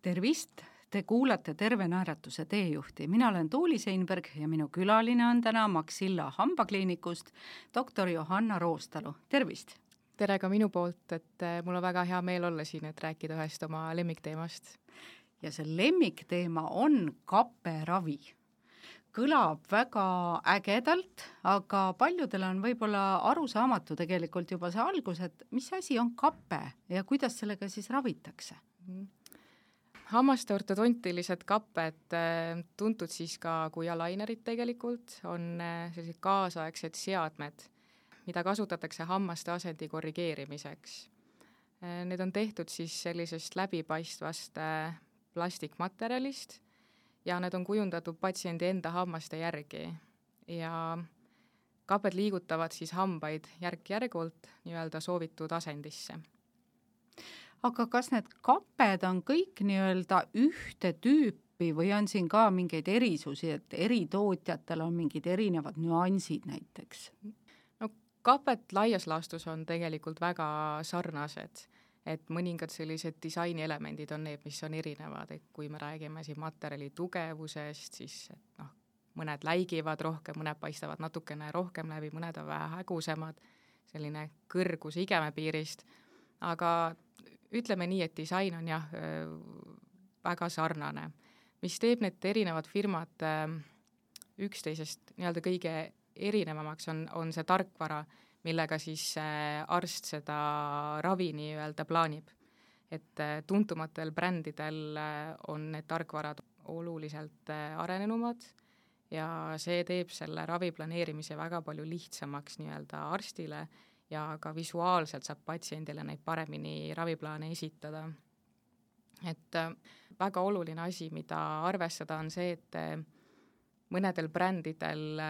Tervist! Te kuulate Terve naeratuse teejuhti. Mina olen Tuuli Seinberg ja minu külaline on täna Maxilla hambakliinikust doktor Johanna Roostalu. Tervist! Tere ka minu poolt, et mul on väga hea meel olla siin, et rääkida ühest oma lemmikteemast. Ja see lemmikteema on kapperavi. Kõlab väga ägedalt, aga paljudel on võib-olla arusaamatu tegelikult juba see algus, et mis asi on kappe ja kuidas sellega siis ravitakse? Hammaste ortodontilised kapped, tuntud siis ka kui alainerid tegelikult, on sellised kaasaegsed seadmed, mida kasutatakse hammaste asendi korrigeerimiseks. Need on tehtud siis sellisest läbipaistvast plastikmaterjalist ja need on kujundatud patsiendi enda hammaste järgi. Ja kapped liigutavad siis hambaid järk-järgult nii-öelda soovitud asendisse. Aga kas need kapped on kõik nii-öelda ühte tüüpi või on siin ka mingeid erisusi, et eri tootjatel on mingid erinevad nüansid näiteks? No kapped laias laastus on tegelikult väga sarnased, et mõningad sellised disainielemendid on need, mis on erinevad, et kui me räägime siin materjali tugevusest, siis mõned läigivad rohkem, mõned paistavad natukene rohkem läbi, mõned on vähe hägusemad, selline kõrgus igemepiirist, aga ütleme nii, et disain on väga sarnane, mis teeb need erinevad firmad üksteisest nii-öelda kõige erinevamaks on see tarkvara, millega siis arst seda ravi nii-öelda plaanib. Et tuntumatel brändidel on need tarkvarad oluliselt arenenumad ja see teeb selle ravi planeerimise väga palju lihtsamaks nii-öelda arstile ja ka visuaalselt saab patsiendile neid paremini raviplaane esitada. Et väga oluline asi, mida arvestada, on see, et mõnedel brändidel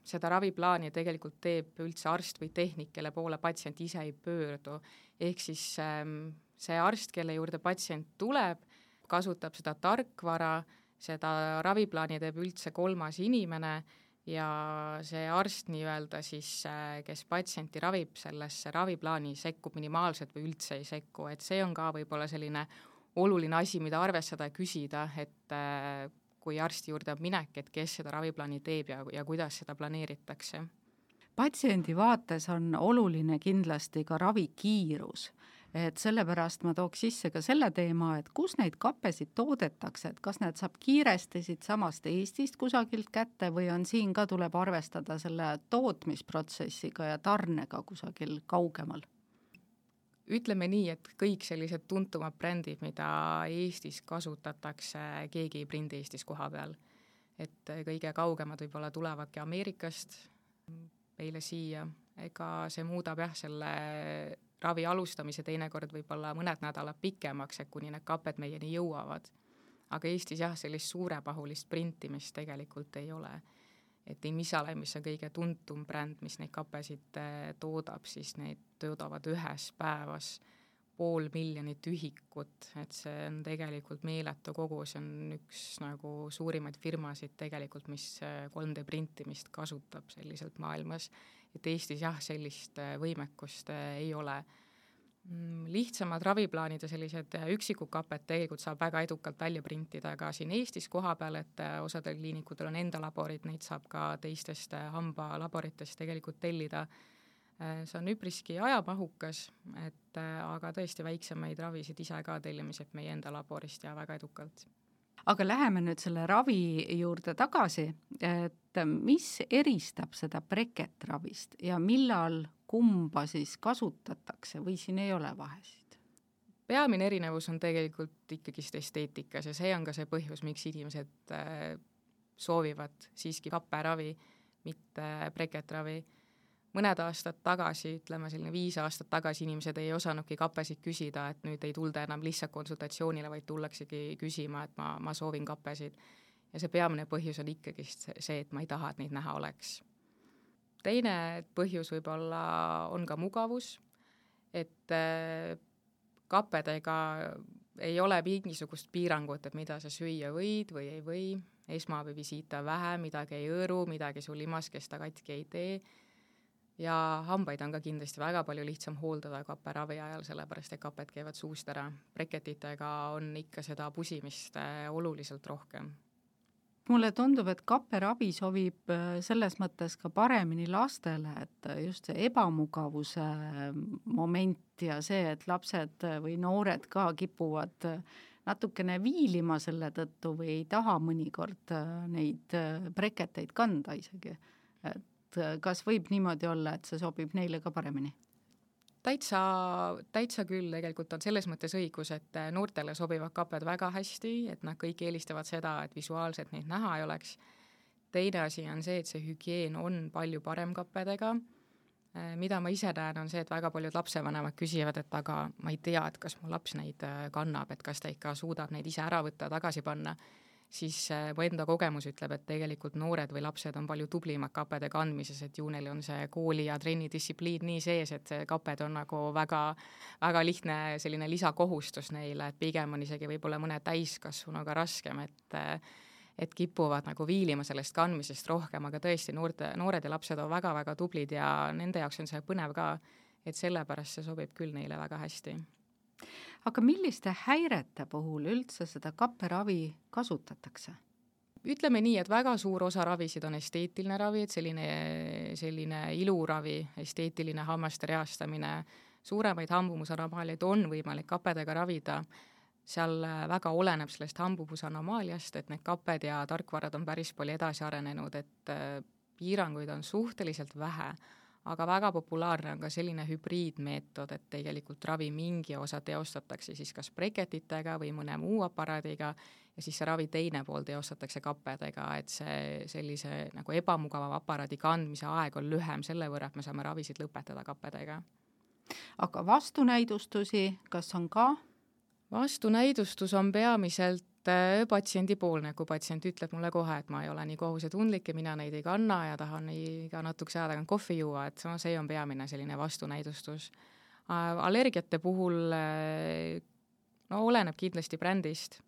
seda raviplaani tegelikult teeb üldse arst või tehnik, kelle poole patsient ise ei pöördu. Ehk siis see arst, kelle juurde patsient tuleb, kasutab seda tarkvara, seda raviplaani teeb üldse kolmas inimene ja see arst nii-öelda siis, kes patsienti ravib, sellesse raviplaani sekkub minimaalselt või üldse ei sekku, et see on ka võib-olla selline oluline asi, mida arvestada ja küsida, et kui arsti juurde on minek, et kes seda raviplaani teeb ja kuidas seda planeeritakse. Patsiendi vaates on oluline kindlasti ka ravikiirus. Et sellepärast ma tooks sisse ka selle teema, et kus neid kappesid toodetakse, et kas need saab kiiresti siit samast Eestist kusagilt kätte või on siin ka tuleb arvestada selle tootmisprotsessiga ja tarnega kusagil kaugemal? Ütleme nii, et kõik sellised tuntumad brändid, mida Eestis kasutatakse, keegi ei prindi Eestis koha peal. Et kõige kaugemad võib-olla tulevadki Ameerikast meile siia, ega see muudab selle ravi alustamise teinekord võib-olla mõned nädalad pikemaks, et kuni need kapped meieni jõuavad. Aga Eestis sellist suurepahulist printimist tegelikult ei ole. Et Invisalign, mis on kõige tuntum bränd, mis neid kappesid toodab, siis neid toodavad ühes päevas 500,000 ühikut, et see on tegelikult meeletu kogu, see on üks suurimaid firmasid tegelikult, mis 3D printimist kasutab selliselt maailmas. Et Eestis sellist võimekust ei ole. Lihtsamad raviplaanid ja sellised üksikud kapped tegelikult saab väga edukalt välja printida ka siin Eestis koha peal, et osadel kliinikutel on enda laborid, neid saab ka teistest hambalaboritest tegelikult tellida. See on üpriski ajamahukas, aga tõesti väiksemaid ravisid ise ka tellimised meie enda laborist ja väga edukalt. Aga läheme nüüd selle ravi juurde tagasi, et mis eristab seda breketravist ja millal kumba siis kasutatakse või siin ei ole vahesid? Peamine erinevus on tegelikult ikkagist esteetikas ja see on ka see põhjus, miks inimesed soovivad siiski kapperavi, mitte breketravi. Mõned aastad tagasi, ütleme selline 5 aastat tagasi inimesed ei osanudki kappesid küsida, et nüüd ei tulda enam lihtsalt konsultatsioonile, vaid tullaksegi küsima, et ma soovin kappesid. Ja see peamine põhjus on ikkagi see, et ma ei taha, et neid näha oleks. Teine põhjus võib-olla on ka mugavus, et kappedega ei ole mingisugust piirangut, et mida sa süüa võid või ei või. Esmaabivisiita vähe, midagi ei õõru, midagi sul limaskesta katki ei tee. ja hambaid on ka kindlasti väga palju lihtsam hooldada kaperavi ajal, sellepärast et kaped käivad suust ära. Breketitega on ikka seda pusimist oluliselt rohkem. Mulle tundub, et kapperavi sobib selles mõttes ka paremini lastele, et just see ebamugavuse moment ja see, et lapsed või noored ka kipuvad natukene viilima selle tõttu või ei taha mõnikord neid breketeid kanda isegi. Et kas võib niimoodi olla, et see sobib neile ka paremini? Täitsa küll, tegelikult on selles mõttes õigus, et noortele sobivad kaped väga hästi, et nad kõik eelistavad seda, et visuaalselt neid näha ei oleks. Teine asi on see, et see hügieen on palju parem kappedega. Mida ma ise näen, on see, et väga paljud lapsevanemad küsivad, et aga ma ei tea, et kas mu laps neid kannab, et kas ta ikka suudab neid ise ära võtta, tagasi panna. Siis mu enda kogemus ütleb, et tegelikult noored või lapsed on palju tublimad kapede kandmises, et ju neil on see kooli ja trenni distsipliin nii sees, et kaped on nagu väga, väga lihtne selline lisakohustus neile, et pigem on isegi võib-olla mõne täiskasvanuga raskem, et kipuvad nagu viilima sellest kandmisest rohkem, aga tõesti noored ja lapsed on väga-väga tublid ja nende jaoks on see põnev ka, et sellepärast see sobib küll neile väga hästi. Aga milliste häirete puhul üldse seda kapperavi kasutatakse? Ütleme nii, et väga suur osa ravisid on esteetiline ravi, et selline iluravi, esteetiline hammaste reastamine, suuremaid hambumusanomaliaid on võimalik kappedega ravida. Seal väga oleneb sellest hambumusanomaliast, et need kapped ja tarkvarad on päris palju edasi arenenud, et piiranguid on suhteliselt vähe. Aga väga populaarne on ka selline hübriidmeetod, et tegelikult ravi mingi osa teostatakse siis kas breketitega või mõne muu aparaadiga ja siis see ravi teine pool teostatakse kappedega, et see sellise nagu ebamugava aparaadi kandmise aeg on lühem selle võrra, et me saame ravisid lõpetada kappedega. Aga vastunäidustusi, kas on ka? Vastunäidustus on peamiselt patsiendipoolne, kui patsient ütleb mulle kohe, et ma ei ole nii kohusetundlik ja mina neid ei kanna ja tahan iga natukese aja tagant kohvi juua, et see on peamine selline vastunäidustus. Allergiate puhul oleneb kindlasti brändist.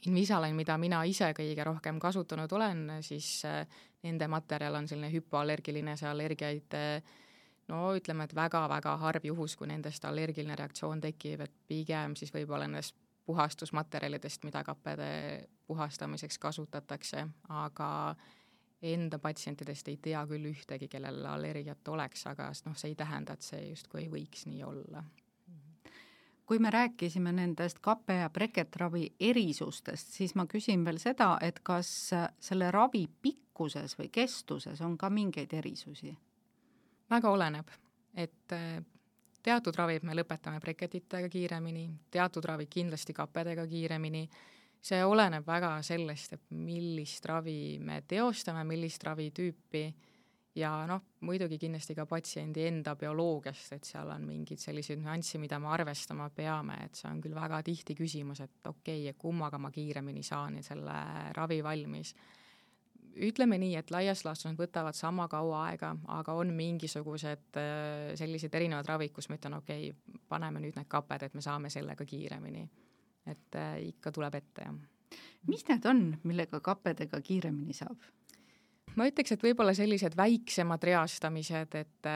Invisalign, mida mina ise kõige rohkem kasutanud olen, siis nende materjal on selline hüpoallergiline, see allergiaid ütleme, et väga-väga harv juhus, kui nendest allergiline reaktsioon tekib, et pigem siis võib-olla nendest puhastusmaterjalidest, mida kappede puhastamiseks kasutatakse, aga enda patsientidest ei tea küll ühtegi, kellel allergiat oleks, aga see ei tähenda, et see justkui ei võiks nii olla. Kui me rääkisime nendest kappe- ja breketravi erisustest, siis ma küsin veel seda, et kas selle ravi pikkuses või kestuses on ka mingeid erisusi? Väga oleneb, et teatud ravid me lõpetame breketitega kiiremini, teatud ravid kindlasti kappedega kiiremini. See oleneb väga sellest, et millist ravi me teostame, millist ravitüüpi ja muidugi kindlasti ka patsiendi enda bioloogiast, et seal on mingid sellised nüanssi, mida me arvestama peame, et see on küll väga tihti küsimus, et okei, kummaga ma kiiremini saan selle ravi valmis. Ütleme nii, et laias laastus nad võtavad sama kaua aega, aga on mingisugused sellised erinevad ravid, kus ma ütlen, okei, paneme nüüd need kaped, et me saame sellega kiiremini. Et ikka tuleb ette, jah. Mis need on, millega kappedega kiiremini saab? Ma ütleks, et võib-olla sellised väiksemad reastamised, et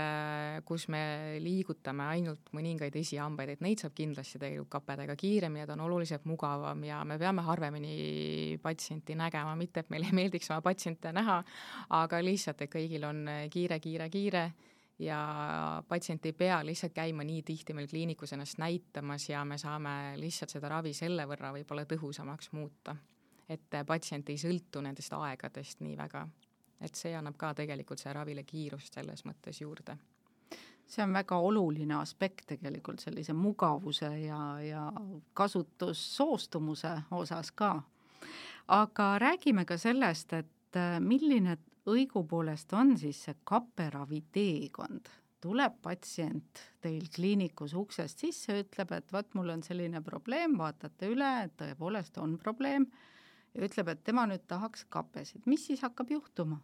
kus me liigutame ainult mõningaid esihambaid, et neid saab kindlasti tegelikult kappedega kiiremini, et on oluliselt mugavam ja me peame harvemini patsienti nägema, mitte et meil ei meeldiks oma patsiente näha, aga lihtsalt, et kõigil on kiire ja patsient ei pea lihtsalt käima nii tihti meil kliinikus ennast näitamas ja me saame lihtsalt seda ravi selle võrra võib-olla tõhusamaks muuta, et patsient ei sõltu nendest aegadest nii väga. Et see annab ka tegelikult see ravile kiirust selles mõttes juurde. See on väga oluline aspekt tegelikult sellise mugavuse ja kasutussoostumuse osas ka. Aga räägime ka sellest, et milline õigupoolest on siis see kapperavi teekond. Tuleb patsient teil kliinikus uksest sisse, ütleb, et vaat mul on selline probleem, vaatate üle, et tõepoolest on probleem ja ütleb, et tema nüüd tahaks kapesid. Mis siis hakkab juhtuma?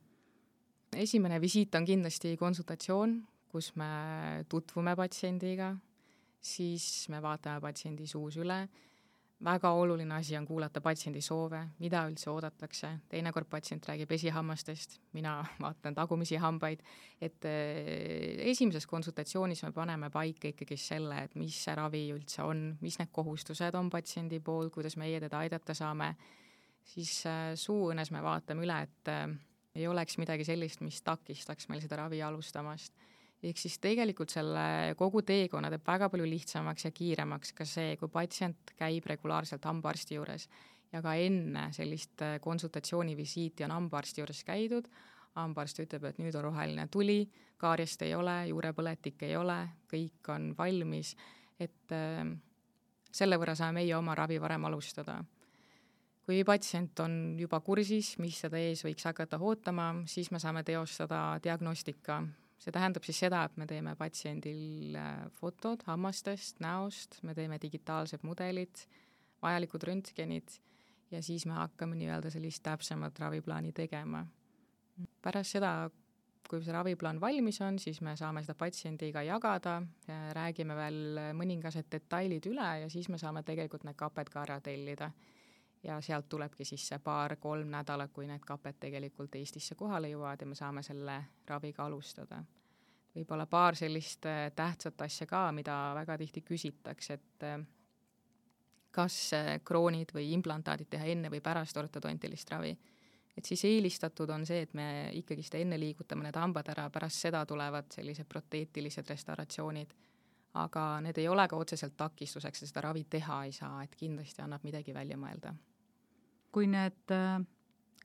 Esimene visiit on kindlasti konsultatsioon, kus me tutvume patsiendiga, siis me vaatame patsiendi suus üle. väga oluline asi on kuulata patsiendi soove, mida üldse oodatakse, teinekord patsient räägib esihammastest, mina vaatan tagumisi hambaid, et esimeses konsultatsioonis me paneme paika ikkagi selle, et mis see ravi üldse on, mis need kohustused on patsiendi pool, kuidas meie teda aidata saame, siis suuõõnes me vaatame üle, et ei oleks midagi sellist, mis takistaks meil seda ravi alustamast. Ehk siis tegelikult selle kogu teekonna teeb väga palju lihtsamaks ja kiiremaks ka see, kui patsient käib regulaarselt hambaarsti juures ja ka enne sellist konsultatsioonivisiiti on hambaarsti juures käidud, hambaarst ütleb, et nüüd on roheline tuli, kaarjast ei ole, juurepõletik ei ole, kõik on valmis, et selle võrra saame meie oma ravi varem alustada. Kui patsient on juba kursis, mis seda ees võiks hakata ootama, siis me saame teostada diagnostika. See tähendab siis seda, et me teeme patsiendil fotod hammastest, näost, me teeme digitaalsed mudelid, vajalikud röntgenid ja siis me hakkame nii-öelda sellist täpsemat raviplaani tegema. Pärast seda, kui see raviplaan valmis on, siis me saame seda patsiendiga jagada, räägime veel mõningased detailid üle ja siis me saame tegelikult need kaped ka ära tellida. Ja sealt tulebki siis see 2-3 nädalat, kui need kaped tegelikult Eestisse kohale jõuavad ja me saame selle raviga alustada. Võib-olla 2 sellist tähtsat asja ka, mida väga tihti küsitakse, et kas kroonid või implantaadid teha enne või pärast ortodontilist ravi. Et siis eelistatud on see, et me ikkagi seda enne liigutame need hambad ära, pärast seda tulevad sellised proteetilised restauratsioonid. Aga need ei ole ka otseselt takistuseks, seda ravi teha ei saa, et kindlasti annab midagi välja mõelda. Kui need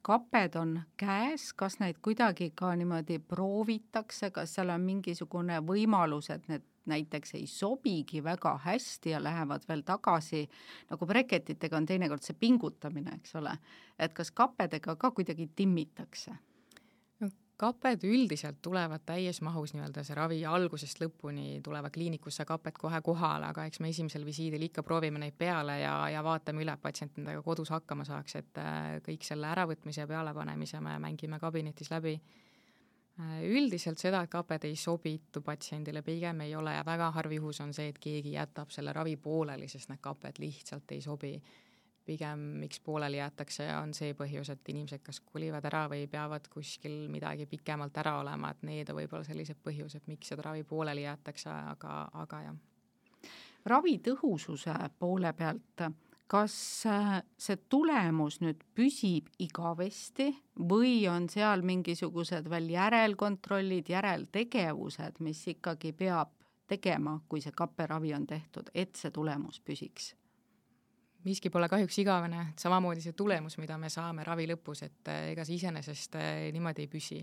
kaped on käes, kas neid kuidagi ka niimoodi proovitakse, kas seal on mingisugune võimalus, et need näiteks ei sobigi väga hästi ja lähevad veel tagasi, nagu breketitega on teinekord see pingutamine, eks ole, et kas kapedega ka kuidagi timmitakse? Kaped üldiselt tulevad täies mahus nii-öelda see ravi algusest lõpuni, tulevad kliinikusse kaped kohe kohale, aga eks me esimesel visiidil ikka proovime neid peale ja vaatame üle, et patsient nendega kodus hakkama saaks, et kõik selle äravõtmise ja pealepanemise me mängime kabinetis läbi. Üldiselt seda, et kaped ei sobitu patsiendile, pigem ei ole ja väga harv juhus on see, et keegi jätab selle ravi pooleli, sest need kaped lihtsalt ei sobi. Pigem miks pooleli jätakse on see põhjus, et inimesed kas kolivad ära või peavad kuskil midagi pikemalt ära olema, et need on võib-olla sellised põhjused, miks seda ravi pooleli jätakse, aga jah. Ravi tõhususe poole pealt, kas see tulemus nüüd püsib igavesti või on seal mingisugused veel järelkontrollid, järeltegevused, mis ikkagi peab tegema, kui see kapperavi on tehtud, et see tulemus püsiks? Miski pole kahjuks igavene, samamoodi see tulemus, mida me saame ravi lõpus, et ega see iseenesest niimoodi ei püsi.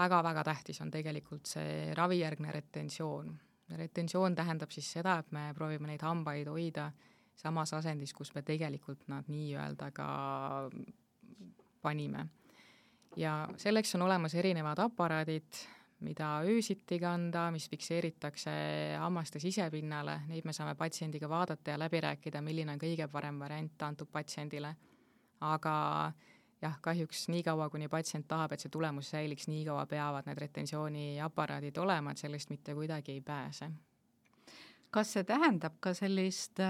Väga-väga tähtis on tegelikult see ravijärgne retensioon. Retensioon tähendab siis seda, et me proovime neid hambaid hoida samas asendis, kus me tegelikult nad nii-öelda ka panime. Ja selleks on olemas erinevad aparaadid, mida öösiti kanda, mis fikseeritakse hammaste sisepinnale, neid me saame patsiendiga vaadata ja läbi rääkida, milline on kõige parem variant antud patsiendile. Aga jah, kahjuks nii kaua, kuni patsient tahab, et see tulemus säiliks, nii kaua peavad need retensiooniaparaadid olema, et sellest mitte kuidagi ei pääse. Kas see tähendab ka sellist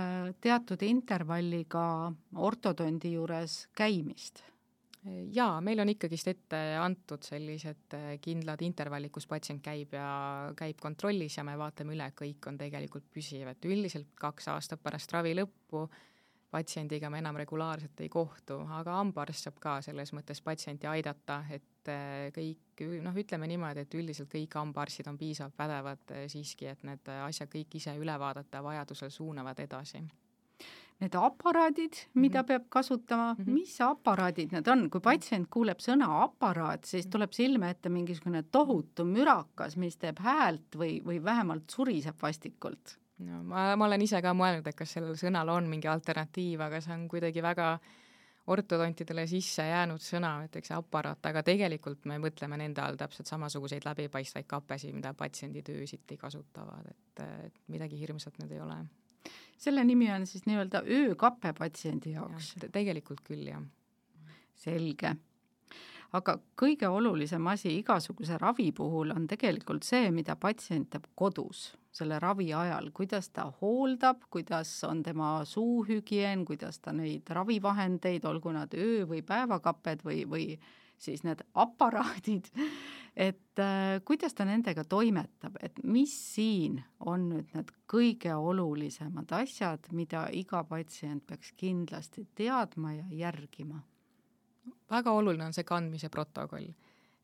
teatud intervalliga ortodondi juures käimist? Jaa, meil on ikkagist ette antud sellised kindlad intervallid, kus patsient käib kontrollis ja me vaatame üle, kõik on tegelikult püsiv, et üldiselt 2 aastat pärast ravi lõppu patsiendiga me enam regulaarselt ei kohtu, aga hambaarst saab ka selles mõttes patsienti aidata, et kõik, ütleme niimoodi, et üldiselt kõik hambaarstid on piisavalt pädevad siiski, et need asjad kõik ise üle vaadata ja vajadusel suunavad edasi. Need aparaadid, mida peab kasutama, mis aparaadid need on? Kui patsient kuuleb sõna aparaat, siis tuleb silme ette mingisugune tohutu mürakas, mis teeb häält või vähemalt suriseb vastikult. No, ma olen ise ka mõelnud, et kas sellel sõnal on mingi alternatiiv, aga see on kuidagi väga ortodontidele sisse jäänud sõna, näiteks aparaat, aga tegelikult me mõtleme nende all täpselt samasuguseid läbipaistvaid kapesi, mida patsiendid öösiti kasutavad, et midagi hirmsat need ei ole. Selle nimi on siis nii-öelda öökappe patsiendi jaoks. Ja, tegelikult küll, jah. Selge. Aga kõige olulisem asi igasuguse ravi puhul on tegelikult see, mida patsient teeb kodus. selle ravi ajal, kuidas ta hooldab, kuidas on tema suuhügieen, kuidas ta neid ravivahendeid, olgu nad öö- või päevakapped või siis need aparaadid, et kuidas ta nendega toimetab, et mis siin on nüüd need kõige olulisemad asjad, mida iga patsient peaks kindlasti teadma ja järgima? Väga oluline on see kandmise protokoll,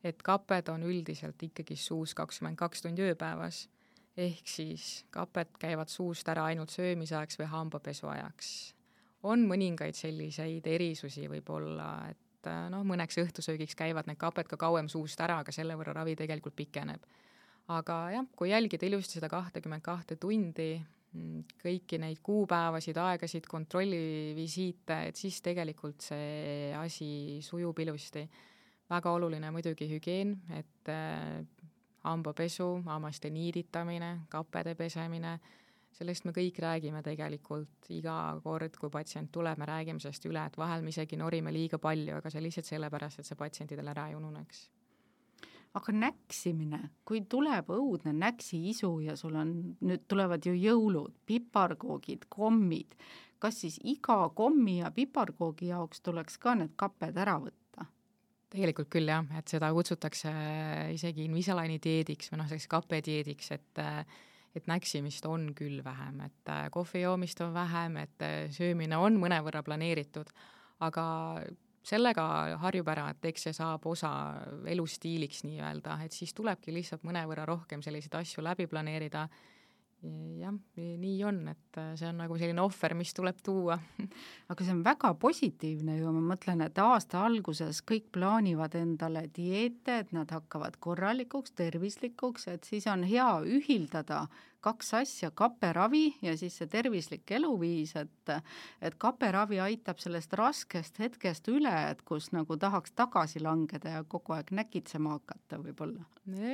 et kaped on üldiselt ikkagi suus 22 tundi ööpäevas, ehk siis kaped käivad suust ära ainult söömisajaks või hambapesu ajaks. On mõningaid selliseid erisusi võib-olla, et mõneks õhtusöögiks käivad need kaped ka kauem suust ära, aga selle võrra ravi tegelikult pikeneb. Aga jah, kui jälgida ilusti seda 22 tundi, kõiki neid kuupäevasid, aegasid, kontrollivisiite, et siis tegelikult see asi sujub ilusti. Väga oluline muidugi hügieen, et hambapesu, hammaste niiditamine, kappede pesemine, sellest me kõik räägime tegelikult iga kord, kui patsient tuleb, me räägime sellest üle, et vahel me isegi norime liiga palju, aga see lihtsalt sellepärast, et see patsientidel ära ei ununeks. Aga näksimine, kui tuleb õudne näksiisu ja sul on, nüüd tulevad ju jõulud, piparkoogid, kommid, kas siis iga kommi ja piparkoogi jaoks tuleks ka need kapped ära võtta? Tegelikult küll jah, et seda kutsutakse isegi Invisaligni dieediks või selleks kapedieediks, et näksimist on küll vähem, et kohvi joomist on vähem, et söömine on mõnevõrra planeeritud, aga sellega harjub ära, et eks see saab osa elustiiliks nii-öelda, et siis tulebki lihtsalt mõnevõrra rohkem selliseid asju läbi planeerida. Jah, nii on, et see on nagu selline ohver, mis tuleb tuua. Aga see on väga positiivne ju, ma mõtlen, et aasta alguses kõik plaanivad endale dieete, et nad hakkavad korralikuks, tervislikuks, et siis on hea ühildada kaks asja, kaperavi ja siis see tervislik eluviis, et kaperavi aitab sellest raskest hetkest üle, et kus nagu tahaks tagasi langeda ja kogu aeg näkitsema hakata võib-olla.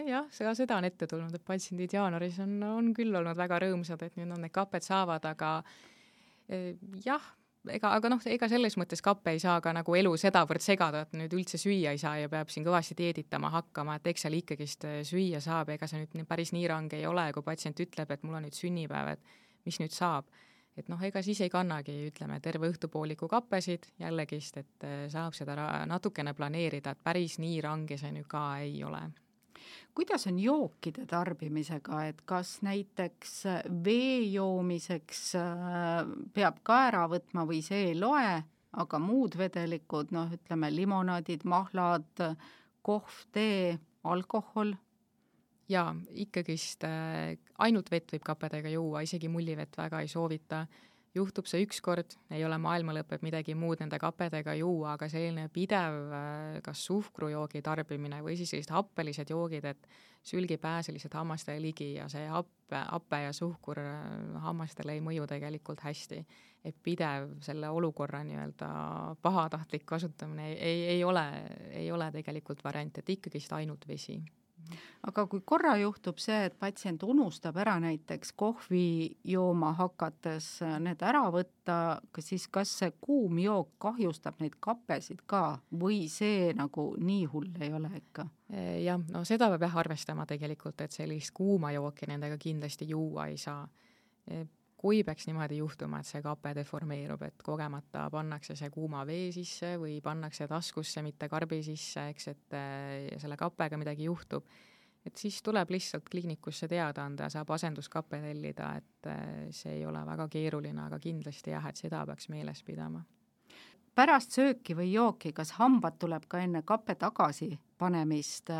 Jah, seda on ette tulnud, et patsiendid jaanuaris on küll olnud väga rõõmsad, et nüüd on need kaped saavad, aga jah, ega selles mõttes kappe ei saa ka nagu elu sedavõrd segada, et nüüd üldse süüa ei saa ja peab siin kõvasti dieeditama hakkama, et eks seal ikkagist süüa saab, ega see nüüd päris nii range ei ole, kui patsient ütleb, et mul on nüüd sünnipäev, et mis nüüd saab. Et ega siis ei kannagi, ütleme, terve õhtupooliku kappesid jällegist, et saab seda natukene planeerida, et päris nii range see nüüd ka ei ole. Kuidas on jookide tarbimisega, et kas näiteks vee joomiseks peab ka ära võtma või see ei loe, aga muud vedelikud, ütleme limonaadid, mahlad, kohv, tee, alkohol? Jaa, ikkagist ainult vett võib kapedega juua, isegi mullivett väga ei soovita. Juhtub see ükskord, ei ole maailma lõpeb midagi muud nende kapedega juua, aga selline pidev kas suhkrujoogi tarbimine või siis sellised happelised joogid, et sülgi pääse lihtsalt hammastele ligi ja see happe ja suhkur hammastele ei mõju tegelikult hästi. Et pidev selle olukorra nii-öelda pahatahtlik kasutamine ei ole tegelikult variant, et ikkagist ainult vesi. Aga kui korra juhtub see, et patsient unustab ära näiteks kohvi jooma hakates need ära võtta, siis kas see kuum jook kahjustab neid kappesid ka või see nagu nii hull ei ole ikka? Jah, seda peab arvestama tegelikult, et sellist kuuma jooki nendega kindlasti juua ei saa. Kui peaks niimoodi juhtuma, et see kape deformeerub, et kogemata pannakse see kuuma vee sisse või pannakse taskusse, mitte karbi sisse, eks, et selle kapega midagi juhtub, et siis tuleb lihtsalt kliinikusse teada anda ja saab asenduskappe tellida, et see ei ole väga keeruline, aga kindlasti jah, et seda peaks meeles pidama. Pärast sööki või jooki, kas hambad tuleb ka enne kappe tagasi panemist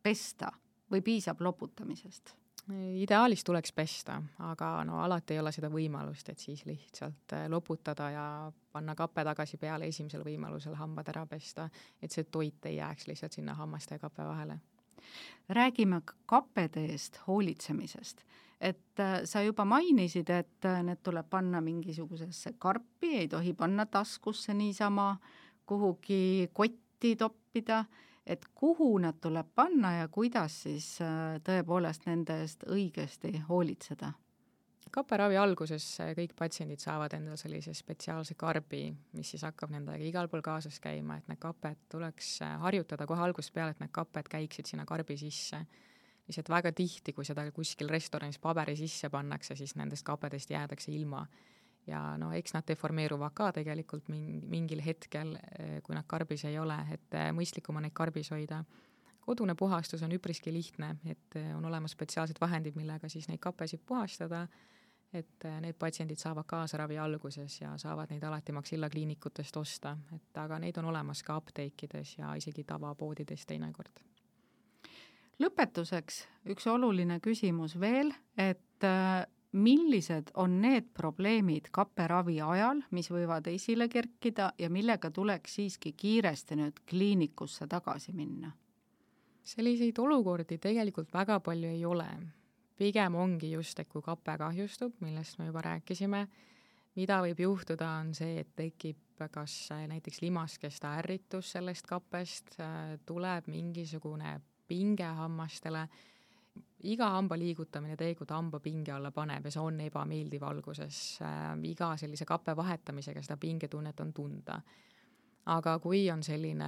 pesta või piisab loputamisest? Ideaalis tuleks pesta, aga alati ei ole seda võimalust, et siis lihtsalt loputada ja panna kappe tagasi peale esimesel võimalusel hambad ära pesta, et see toit ei jääks lihtsalt sinna hammaste ja kappe vahele. Räägime kappede eest hoolitsemisest, et sa juba mainisid, et need tuleb panna mingisugusesse karpi, ei tohi panna taskusse niisama, kuhugi kotti toppida, et kuhu nad tuleb panna ja kuidas siis tõepoolest nende eest õigesti hoolitseda? Kaperavi alguses kõik patsiendid saavad endale sellise spetsiaalse karbi, mis siis hakkab nendega igal pool kaasas käima, et need kaped tuleks harjutada kohe algusest peale, et need kaped käiksid sinna karbi sisse. lihtsalt väga tihti, kui seda kuskil restoranis paberi sisse pannakse, siis nendest kapedest jäädakse ilma. Ja no eks nad deformeeruvad ka tegelikult mingil hetkel, kui nad karbis ei ole, et mõistlikum on neid karbis hoida. Kodune puhastus on üpriski lihtne, et on olemas spetsiaalsed vahendid, millega siis neid kapesid puhastada, et need patsiendid saavad kaasa ravi alguses ja saavad neid alati Maxilla kliinikutest osta, et aga neid on olemas ka apteekides ja isegi tavapoodides teinekord. Lõpetuseks üks oluline küsimus veel, et millised on need probleemid kapperavi ajal, mis võivad esile kerkida ja millega tuleks siiski kiiresti nüüd kliinikusse tagasi minna? Selliseid olukordi tegelikult väga palju ei ole. Pigem ongi just, et kui kape kahjustub, millest me juba rääkisime, mida võib juhtuda, on see, et tekib kas näiteks limaskesta ärritus sellest kapest, tuleb mingisugune pinge hammastele, iga hamba liigutamine tegelikult hamba pinge alla paneb ja see on ebameeldiv alguses. Iga sellise kappe vahetamisega seda pingetunnet on tunda. Aga kui on selline,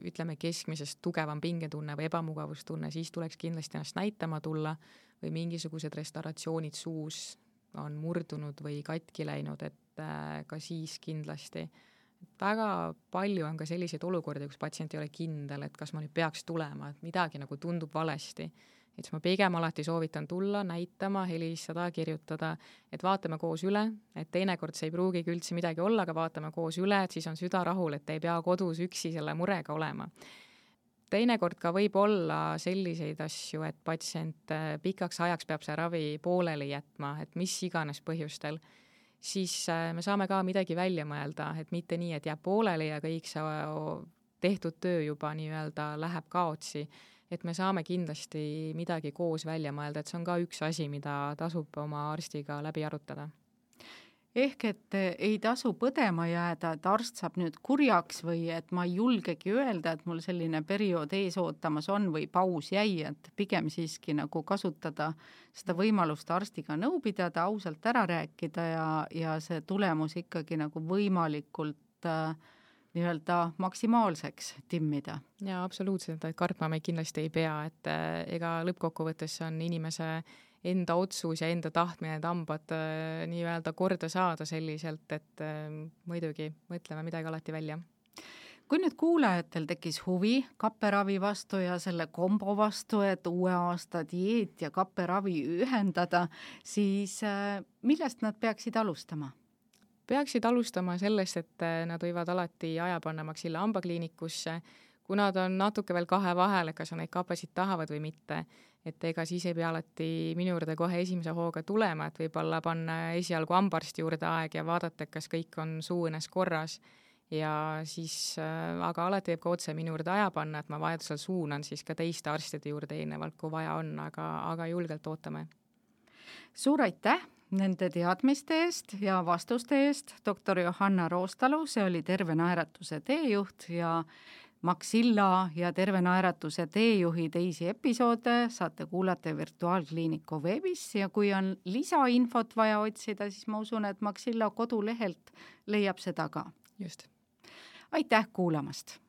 ütleme, keskmisest tugevam pingetunne või ebamugavustunne, siis tuleks kindlasti ennast näitama tulla või mingisugused restauratsioonid suus on murdunud või katki läinud, et ka siis kindlasti. Väga palju on ka selliseid olukordi, kus patsient ei ole kindel, et kas ma nüüd peaks tulema, et midagi nagu tundub valesti. Et ma pigem alati soovitan tulla, näitama, helistada, kirjutada, et vaatame koos üle, et teinekord see ei pruugigi üldse midagi olla, aga vaatame koos üle, et siis on süda rahul, et ei pea kodus üksi selle murega olema. Teinekord ka võib olla selliseid asju, et patsient pikaks ajaks peab see ravi pooleli jätma, et mis iganes põhjustel, siis me saame ka midagi välja mõelda, et mitte nii, et jääb pooleli ja kõik see tehtud töö juba nii-öelda läheb kaotsi, et me saame kindlasti midagi koos välja mõelda, et see on ka üks asi, mida tasub oma arstiga läbi arutada. Ehk et ei tasu põdema jääda, et arst saab nüüd kurjaks või et ma ei julgegi öelda, et mul selline periood ees ootamas on või paus jäi, et pigem siiski nagu kasutada seda võimalust arstiga nõu pidada, ausalt ära rääkida ja see tulemus ikkagi nagu võimalikult nii-öelda maksimaalseks timmida. Ja absoluutselt, et kartma me kindlasti ei pea, et ega lõppkokkuvõttes on inimese enda otsus ja enda tahtmine need hambad nii-öelda korda saada selliselt, et muidugi mõtleme midagi alati välja. Kui nüüd kuulajatel tekkis huvi kapperavi vastu ja selle kombo vastu, et uue aasta dieet ja kapperavi ühendada, siis millest nad peaksid alustama? Peaksid alustama sellest, et nad võivad alati aja panna Maxilla hambakliinikusse, kui nad on natuke veel kahe vahel, kas on neid kapesid tahavad või mitte, et ega siis ei pea alati minu juurde kohe esimese hooga tulema, et võib-olla panna esialgu hambaarsti juurde aeg ja vaadata, kas kõik on suuõnes korras ja siis, aga alati võib ka otse minu juurde aja panna, et ma vajadusel suunan siis ka teiste arstide juurde eelnevalt, kui vaja on, aga julgelt ootame. Suur aitäh nende teadmiste eest ja vastuste eest, doktor Johanna Roostalu, see oli Terve Naeratuse teejuht ja Maxilla ja Terve Naeratuse teejuhi teisi episoode saate kuulata Virtuaalkliiniku veebis ja kui on lisainfot vaja otsida, siis ma usun, et Maxilla kodulehelt leiab seda ka. Just. Aitäh kuulamast!